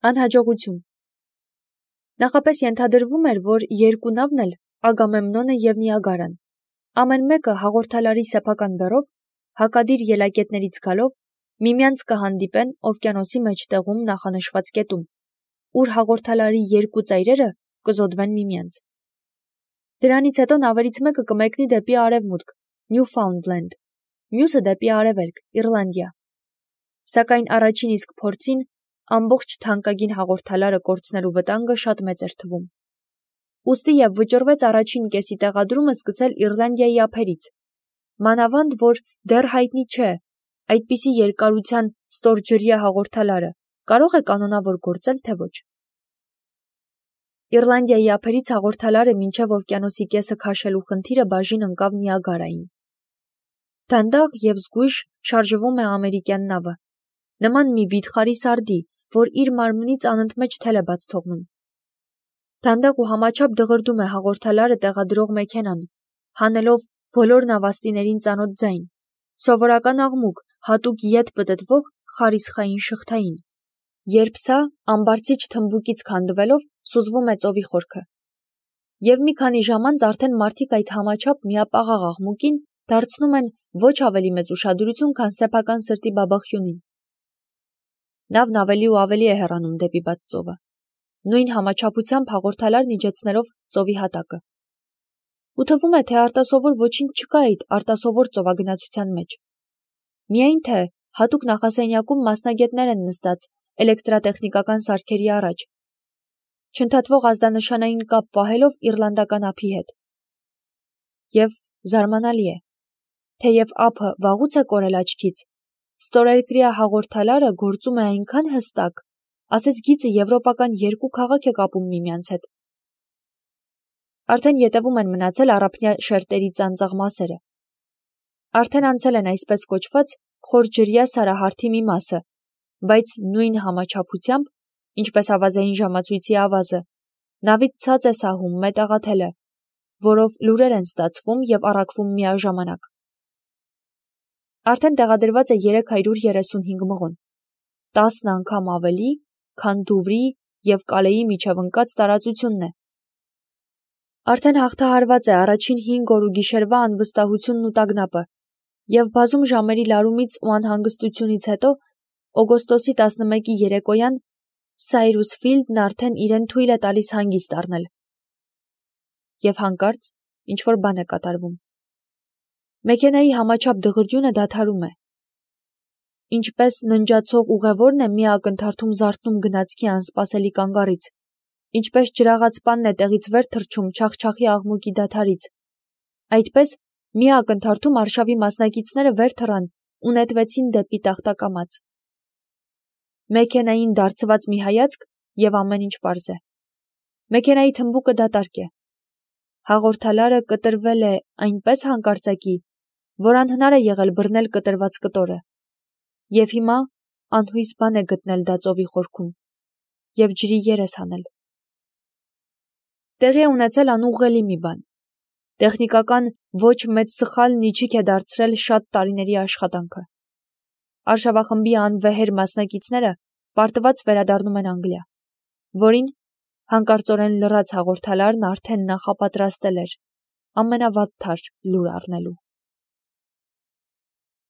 Անհաջողություն։ Նախապես ենթադրվում էր, որ երկու նավն էլ Ագամեմնոնը և Նիագարան, ամեն մեկը հաղորդալարի սեփական բեռով, հակադիր ելակետներից գալով, միմյանց կհանդիպեն օվկիանոսի մեջտեղում նախանշված կետում, ուր հաղորդալարի երկու ծայրերը կզոդվեն միմյանց։ Դրանից հետո նավերից մեկը կմեկնի դեպի արևմուտք, Նյուֆաունդլենդ, մյուսը դեպի արևելք, Իռլանդիա։ Սակայն առաջին իսկ փորձին ամբողջ թանկագին հաղորդալարը կորցնելու վտանգը շատ մեծ էր թվում։ Ուստի և վճռվեց առաջին կեսի տեղադրումը սկսել Իռլանդիայի ափերից, մանավանդ որ դեռ հայտնի չէ, այդպիսի երկարության ստորջրյա հաղորդալարը կարող է կանոնավոր գործել, թե ոչ։ Իռլանդիայի ափերից հաղորդալարը մինչև օվկիանոսի կեսը քաշելու խնդիրը բաժին ընկավ Նիագարային։ Դանդաղ և զգույշ շարժվում է ամերիկյան նավը, նման մի վիթխարի սարդի, որ իր մարմնից անընդմեջ թել է բաց թողնում։ Դանդաղ ու համաչափ դղրդում է հաղորդալարը տեղադրող մեքենան, հանելով բոլոր նավաստիներին ծանոթ ձայն, սովորական աղմուկ, հատուկ ետ պտտվող խարիսխային շղթային, երբ սա ամբարձիչ թմբուկից քանդվելով սուզվում է ծովի խորքը։ Եվ մի քանի ժամ անց արդեն մարդիկ այդ համաչափ միապաղաղ աղմուկին դարձնում են ոչ ավելի մեծ ուշադրություն, քան սեփական սրտի բաբախյունին։ Նավն ավելի ու ավելի է հեռանում դեպի բաց ծովը, նույն համաչափությամբ հաղորդալարն իջեցնելով ծովի հատակը։ Ու թվում է, թե արտասովոր ոչինչ չկա այդ արտասովոր ծովագնացության մեջ։ Միայն թե հատուկ նախասենյակում մասնագետներ են նստած էլեկտրատեխնիկական սարքերի առաջ, չընդհատվող ազդանշանային կապ պահելով իռլանդական ափի հետ։ Եվ զարմանալի է, թեև ափը վաղուց է կորել աչքից, ստորերկրյա հաղորդալարը գործում է այնքան հստակ, ասես գիծը եվրոպական երկու քաղաք է կապում միմյանց հետ։ Արդեն ետևում են մնացել առափնյա շերտերի ծանծաղ մասերը։ Արդեն անցել են այսպես կոչված խորջրյա սարահարթի մի մասը, բայց նույն համաչափությամբ, ինչպես ավազային ժամացույցի ավազը, նավից ցած է սահում մետաղաթելը, որով լուրեր են ստացվում և առաքվում միաժամանակ։ Արդեն տեղադրված է 335 մղոն, 10 անգամ ավելի, քան Դուվրի և Կալեի միջև ընկած տարածությունն է։ Արդեն հաղթահարված է առաջին 5 օր ու գիշերվա անվստահությունն ու տագնապը, և բազում ժամերի լարումից ու անհանգստությունից հետո օգոստոսի 11-ի երեկոյան Սայրուս Ֆիլդն արդեն իրեն թույլ է տալիս հանգիստ առնել։ Եվ հանկարծ ինչ-որ բան է կատարվում։ Մեքենայի համաչափ դղրդյունը դադարում է։ Ինչպես ննջացող ուղևորն է մի ակնթարթում զարթնում գնացքի անսպասելի կանգառից, ինչպես ջրաղացպանն է տեղից վեր թռչում չախչախի աղմուկի դադարից, այդպես մի ակնթարթում արշավի մասնակիցները վեր թռան ու նետվեցին դեպի տախտակամած։ Մեքենային դարձված մի հայացք և ամեն ինչ պարզ է։ Մեքենայի թմբուկը դատարկ է։ Հաղորդալարը կտրվել է այնպես հանկարծակի, որ անհնար է եղել բռնել կտրված կտորը։ Եվ հիմա անհույս բան է գտնել դա ծովի խորքում և ջրի երես հանել։ Տեղի է ունեցել անուղղելի մի բան։ Տեխնիկական ոչ մեծ սխալն իջիք է դարձրել շատ տարիների աշխատանքը։ Արշավախմբի անվեհեր մասնակիցները պարտված վերադառնում են Անգլիա, որին հանկարծորեն լռած հաղորդալարն արդեն նախապատրաստել էր ամենավատթար լուր առնելու։